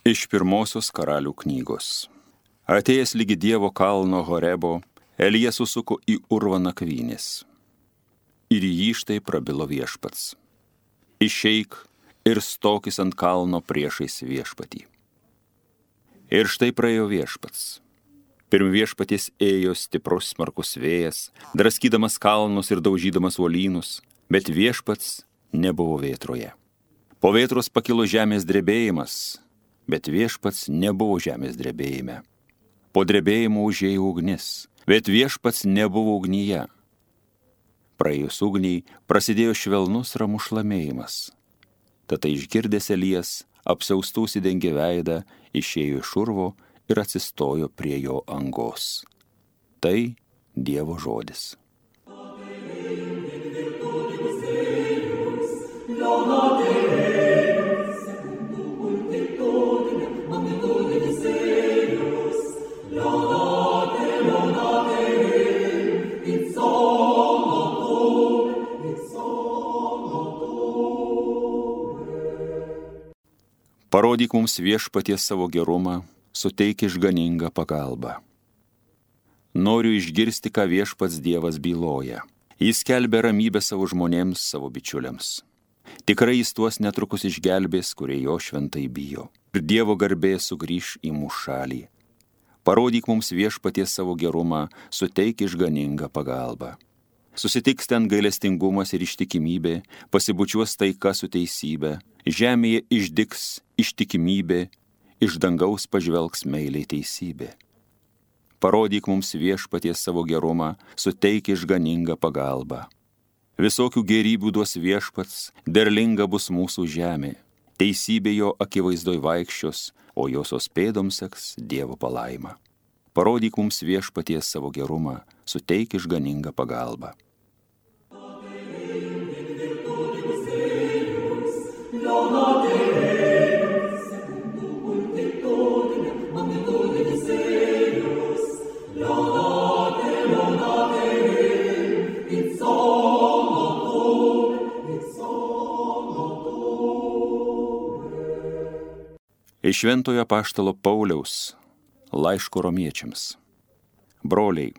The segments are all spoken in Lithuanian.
Iš pirmosios karalių knygos. Atėjęs lygi Dievo kalno Horebo, Elijas susuko į urvą nakvynės. Ir jį štai prabilo Viešpats. Išeik ir stokis ant kalno priešais Viešpatį. Ir štai praėjo Viešpats. Pirm Viešpaties ėjo stiprus smarkus vėjas, draskydamas kalnus ir daužydamas uolynus, bet Viešpats nebuvo vėtroje. Po vėtros pakilo žemės drebėjimas, bet Viešpats nebuvo žemės drebėjime. Po drebėjimo užėjo ugnis, bet Viešpats nebuvo ugnyje. Praėjus ugniai prasidėjo švelnus ramus šlamėjimas. Tada išgirdęs Elijas, apsiaustų užsidengė veidą, išėjo iš urvo ir atsistojo prie jo angos. Tai Dievo žodis. Parodyk mums Viešpaties savo gerumą, suteik išganingą pagalbą. Noriu išgirsti, ką Viešpats Dievas byloja. Jis skelbia ramybę savo žmonėms, savo bičiuliams. Tikrai jis tuos netrukus išgelbės, kurie jo šventai bijo. Ir Dievo garbė sugrįš į mūsų šalį. Parodyk mums Viešpaties savo gerumą, suteik išganingą pagalbą. Susitiks ten gailestingumas ir ištikimybė, pasibučiuos taika su teisybė, žemėje išdygs ištikimybė, iš dangaus pažvelgs meiliai teisybė. Parodyk mums Viešpaties savo gerumą, suteik išganingą pagalbą. Visokių gėrybių duos Viešpats, derlinga bus mūsų žemė. Teisybė jo akivaizdoj vaikščios, o josios pėdoms seks Dievo palaima. Parodyk mums Viešpaties savo gerumą, suteik išganingą pagalbą. Iš Šventojo apaštalo Pauliaus laiško romiečiams. Broliai,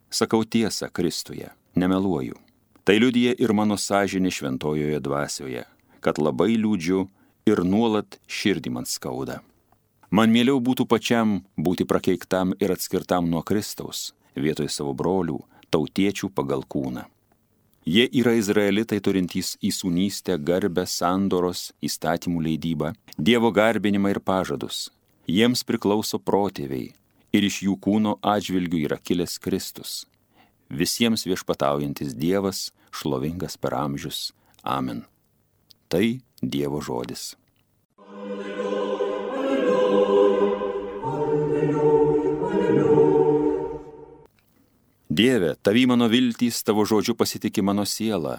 sakau tiesą Kristuje, nemeluoju. Tai liudija ir mano sąžinė šventojoje dvasioje, kad labai liūdžiu ir nuolat širdį man skauda. Man mieliau būtų pačiam būti prakeiktam ir atskirtam nuo Kristaus, vietoj savo brolių, tautiečių pagal kūną. Jie yra izraelitai turintys įsūnystę, garbę, sandoros, įstatymų leidybą, Dievo garbinimą ir pažadus. Jiems priklauso protėviai ir iš jų kūno atžvilgių yra kilęs Kristus. Visiems viešpataujantis Dievas, šlovingas per amžius. Amen. Tai Dievo žodis. Dieve, tavy mano viltys, tavo žodžiu pasitiki mano siela.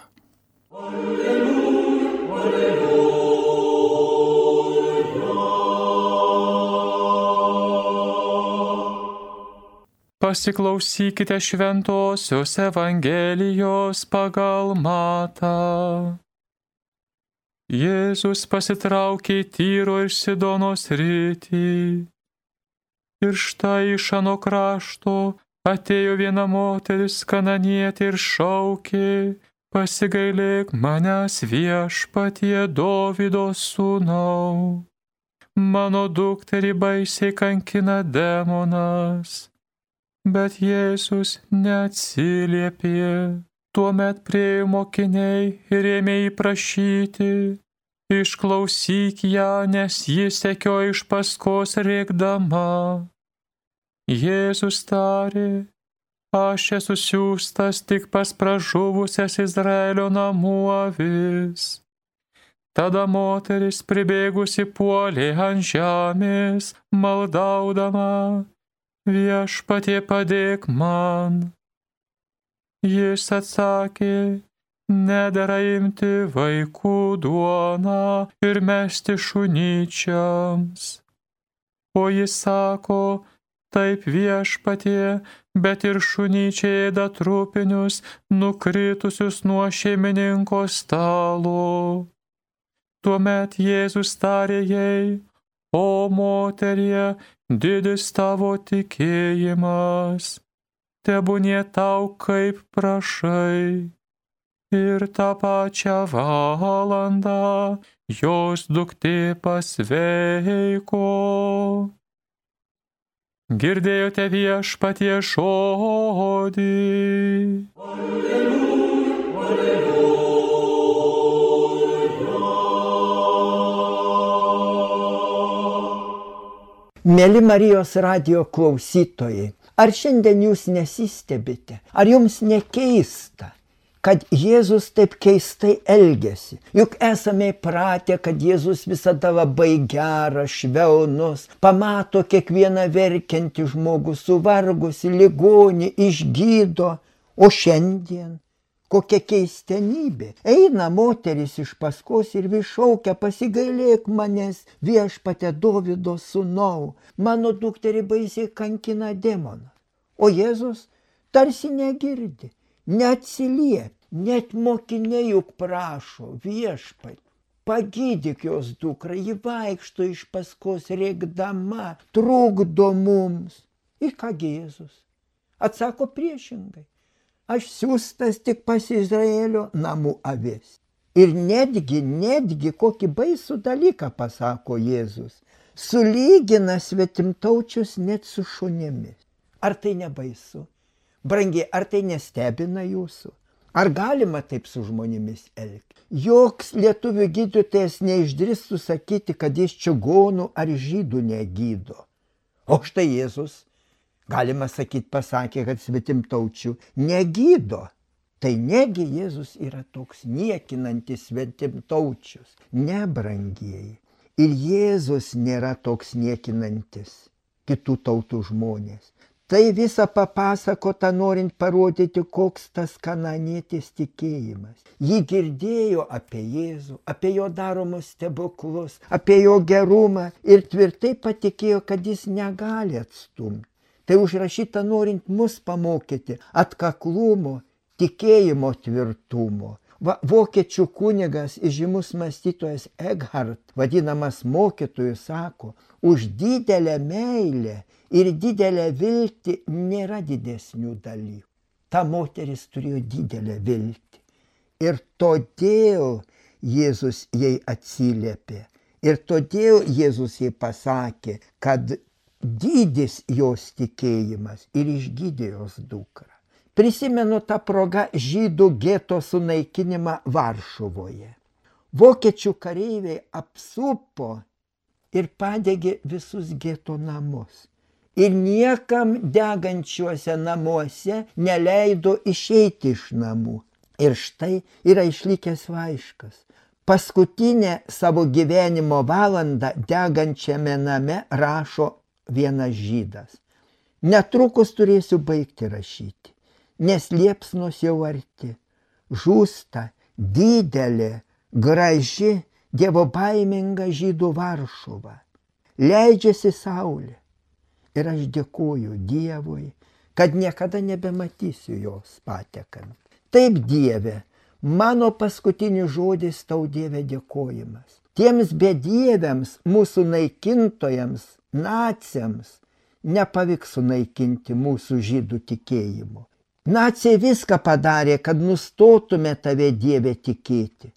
Pasiklausykite šventosios Evangelijos pagal Matą. Jėzus pasitraukė į Tyro ir Sidono sritį. Ir štai iš ano krašto atėjo viena moteris kananietė ir šaukė: pasigailėk manęs Viešpatie, Dovydo sūnau. Mano dukterį baisiai kankina demonas. Bet Jėzus neatsiliepė. Tuomet priėjo mokiniai ir ėmė jį prašyti: išklausyk ją, nes ji sekiojo iš paskos rėkdama. Jėzus tarė: aš esu siųstas tik pas pražuvusias Izraelio namų avis. Tada moteris pribėgusi puolė ant žemės, maldaudama: Viešpatie, padėk man. Jis atsakė: nedera imti vaikų duoną ir mesti šunyčiams. O jis sako: taip, Viešpatie, bet ir šunyčiai ėda trupinius, nukritusius nuo šeimininko stalo. Tuomet Jėzus tarė jai: O moterie, didis tavo tikėjimas, tebūnie tau kaip prašai. Ir tą pačią valandą jos duktė pasveiko. Girdėjote Viešpaties žodį. Mėly Marijos radijo klausytojai, ar šiandien jūs nesistebite, ar jums nekeista, kad Jėzus taip keistai elgiasi? Juk esame įpratę, kad Jėzus visada labai geras, švelnus, pamato kiekvieną verkiantį žmogų, suvargusi, ligonį, išgydo. O šiandien kokia keistenybė. Eina moteris iš paskos ir vis šaukia: pasigailėk manęs, Viešpatie Dovydo sūnau, mano dukterį baisiai kankina demonas. O Jėzus tarsi negirdi, neatsiliepia. Net mokiniai juk prašo: Viešpatie, pagydyk jos dukrą, ji vaikšto iš paskos rėkdama, trukdo mums. Ir kągi Jėzus atsako priešingai: aš siųstas tik pas Izraelio namų avis. Ir netgi kokį baisų dalyką pasako Jėzus: sulygina svetimtaučius net su šunimis. Ar tai nebaisu? Brangiai, ar tai nestebina jūsų? Ar galima taip su žmonėmis elgti? Joks lietuvių gydytojas neišdrįstų sakyti, kad jis čigonų ar žydų negydo. O štai Jėzus, galima sakyti, pasakė, kad svetimtaučių negydo. Tai negi Jėzus yra toks niekinantis svetimtaučius? Ne, brangieji. Ir Jėzus nėra toks niekinantis kitų tautų žmonės. Tai visą papasakota norint parodyti, koks tas kananėtis tikėjimas. Ji girdėjo apie Jėzų, apie jo daromus stebuklus, apie jo gerumą ir tvirtai patikėjo, kad jis negali atstumti. Tai užrašyta norint mus pamokyti atkaklumo, tikėjimo tvirtumo. Vokiečių kunigas, įžymus mąstytojas Eckhart, vadinamas mokytoju, sako: už didelę meilę ir didelę viltį nėra didesnių dalykų. Ta moteris turėjo didelę viltį. Ir todėl Jėzus jai atsiliepė. Ir todėl Jėzus jai pasakė, kad didis jos tikėjimas ir išgydė jos dukrą. Prisimenu tą progą žydų geto sunaikinimą Varšuvoje. Vokiečių kareiviai apsupo ir padegė visus geto namus. Ir niekam degančiuose namuose neleido išeiti iš namų. Ir štai yra išlikęs laiškas. Paskutinę savo gyvenimo valandą degančiame name rašo vienas žydas: netrukus turėsiu baigti rašyti, nes liepsnos jau arti. Žūsta didelė, graži, dievobaiminga žydų Varšuva. Leidžiasi saulė. Ir aš dėkoju Dievui, kad niekada nebematysiu jos patekant. Taip, Dieve, mano paskutinis žodis tau, Dieve, dėkojimas. Tiems bedieviams, mūsų naikintojams, naciams, nepavyks sunaikinti mūsų žydų tikėjimo. Naciai viską padarė, kad nustotume tave, Dieve, tikėti.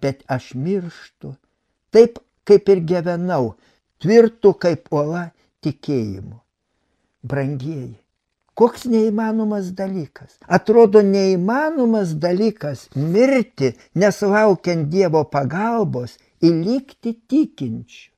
Bet aš mirštu, taip kaip ir gyvenau, tvirtu kaip uola tikėjimu. Brangieji, koks neįmanomas dalykas. Atrodo neįmanomas dalykas mirti, nesulaukiant Dievo pagalbos ir likti tikinčiu.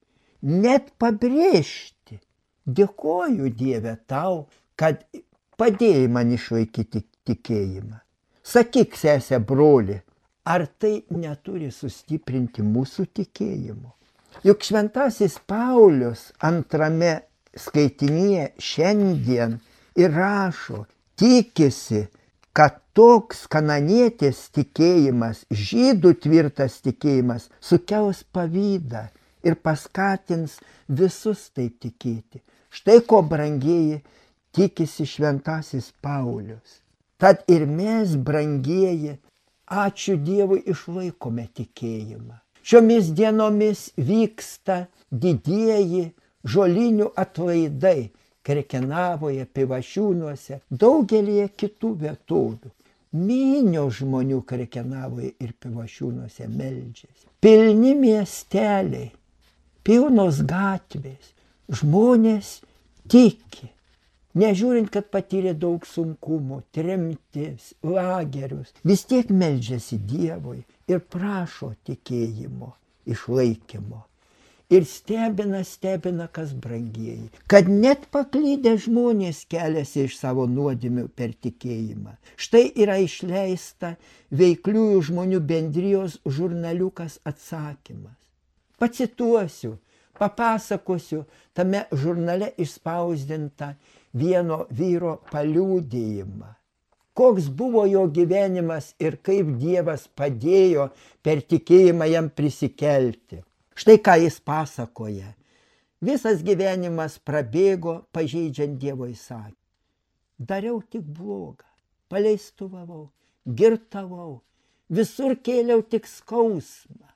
Net pabrėžti: dėkoju, Dieve, tau, kad padėjai man išlaikyti tikėjimą. Sakyk, sese, broli, ar tai neturi sustiprinti mūsų tikėjimo? Juk šventasis Paulius antrame skaitinyje šiandien ir rašo, tikisi, kad toks kananietės tikėjimas, žydų tvirtas tikėjimas sukels pavydą ir paskatins visus taip tikėti. Štai ko, brangieji, tikisi šventasis Paulius. Tad ir mes, brangieji, ačiū Dievui, išlaikome tikėjimą. Šiomis dienomis vyksta didieji žolinių atlaidai Krekenavoje, Pivašiūnuose, daugelį kitų vietovių. Minios žmonių Krekenavoje ir Pivašiūnuose meldžiasi. Pilni miesteliai, pilnos gatvės, žmonės tiki. Nežiūrint, kad patyrė daug sunkumų, tremtis, lagerius, vis tiek meldžiasi Dievui ir prašo tikėjimo, išlaikymo. Ir stebina, kas brangieji, kad net paklydę žmonės keliasi iš savo nuodėmių per tikėjimą. Štai yra išleista Veikliųjų žmonių bendrijos žurnaliukas Atsakymas. Pacituosiu, papasakosiu tame žurnale išspausdintą vieno vyro paliudijimą. Koks buvo jo gyvenimas ir kaip Dievas padėjo per tikėjimą jam prisikelti. Štai ką jis pasakoja. Visas gyvenimas prabėgo pažeidžiant Dievo įsakymą. Dariau tik blogą, paleistuvavau, girtavau, visur kėliau tik skausmą,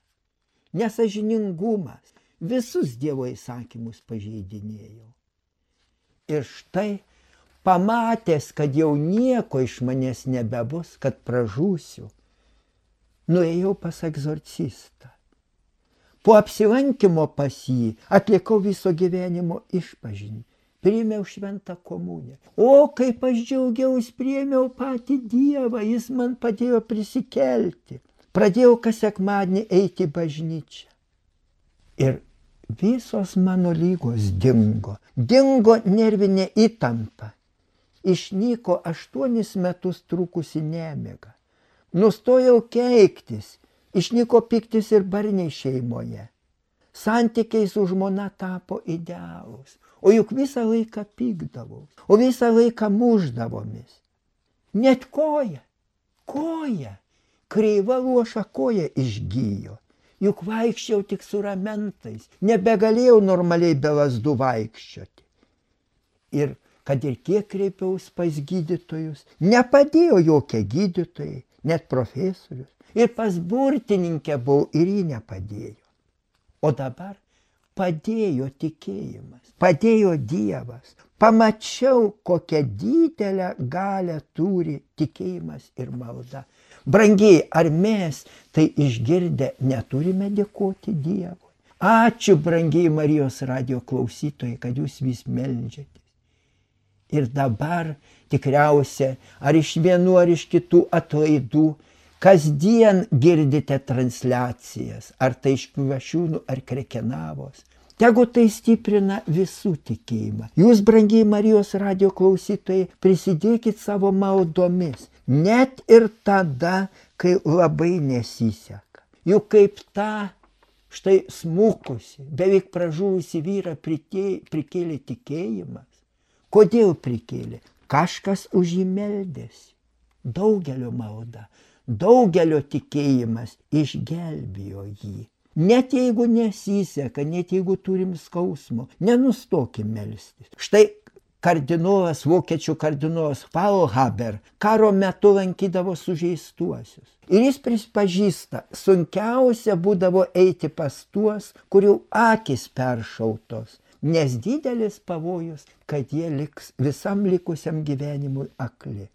nesąžiningumas, visus Dievo įsakymus pažeidinėjau. Ir štai, pamatęs, kad jau nieko iš manęs nebebus, kad pražūsiu, nuėjau pas egzorcistą. Po apsilankymo pas jį atlikau viso gyvenimo išpažinį, priėmiau šventą komuniją. O, kaip aš džiaugiausi, priėmiau patį Dievą, jis man padėjo prisikelti. Pradėjau kas sekmadienį eiti į bažnyčią. Ir visos mano lygos dingo. Dingo nervinė įtampa. Išnyko 8 metus trukusi nemiga. Nustojau keiktis. Išnyko pyktis ir barniai šeimoje. Santykiai su žmona tapo idealūs. O juk visą laiką pykdavau. O visą laiką mušdavomis. Net koja, kreiva luoša koja išgijo. Juk vaikščiau tik su ramentais. Nebegalėjau normaliai be lazdų vaikščioti. Ir kad ir kiek kreipiausi pas gydytojus, nepadėjo jokie gydytojai, net profesorius. Ir pas burtininkę buvau ir ji nepadėjo. O dabar padėjo tikėjimas, padėjo Dievas. Pamačiau, kokią didelę galią turi tikėjimas ir malda. Brangiai, ar mes tai išgirdę neturime dėkoti Dievui? Ačiū, brangiai Marijos radijo klausytojai, kad jūs vis meldžiatės. Ir dabar tikriausia, ar iš vienų, ar iš kitų atlaidų, kasdien girdite transliacijas, ar tai iš Pivašiūnų, ar Krekenavos. Tegu tai stiprina visų tikėjimą. Jūs, brangiai Marijos radijo klausytojai, prisidėkit savo maldomis, net ir tada, kai labai nesiseka. Juk kaip tą štai smukusi, beveik pražuvusi vyrą prikėlė tikėjimas. Kodėl prikėlė? Kažkas už jį meldėsi. Daugelio malda. Daugelio tikėjimas išgelbėjo jį. Net jeigu nesiseka, net jeigu turim skausmo, nenustokim melstis. Štai kardinolas, vokiečių kardinolas Faulhaber karo metu lankydavo sužeistuosius. Ir jis pripažįsta, sunkiausia būdavo eiti pas tuos, kurių akis peršautos, nes didelis pavojus, kad jie liks visam likusiam gyvenimui akli.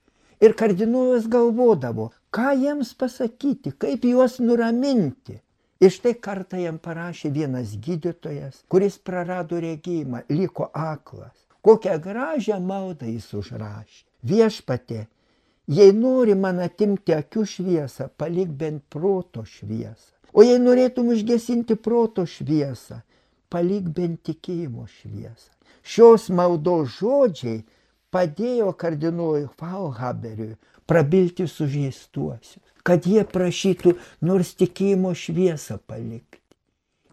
Ir kardinolas galvodavo, ką jiems pasakyti, kaip juos nuraminti. Ir štai kartą jam parašė vienas gydytojas, kuris prarado regėjimą, liko aklas. Kokią gražią maldą jis užrašė. Viešpatie, jei nori man atimti akių šviesą, palik bent proto šviesą. O jei norėtum užgesinti proto šviesą, palik bent tikėjimo šviesą. Šios maldos žodžiai padėjo kardinolui Faulhaberiui prabilti sužeistuosius, kad jie prašytų nors tikėjimo šviesą palikti.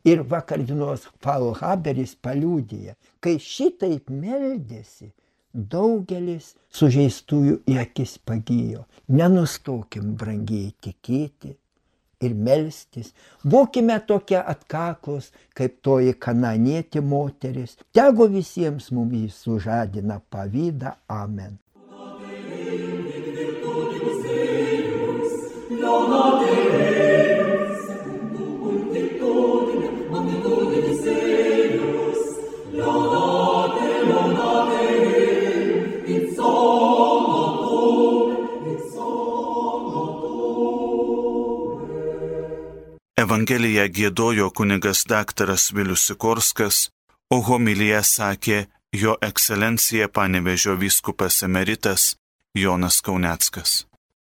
Ir kardinolas Faulhaberis paliudija, kai šitaip meldėsi, daugelis sužeistųjų į akis pagijo. Nenustokim, brangiai, tikėti ir melstis. Būkime tokie atkaklus, kaip toji kananietė moteris. Tegu visiems mums sužadina pavydą. Amen. Lona Deus, secundum Evangeliją giedojo kunigas daktaras Vilius Sikorskas, o homiliją sakė jo ekscelencija Panevėžio vyskupas emeritas Jonas Kauneckas.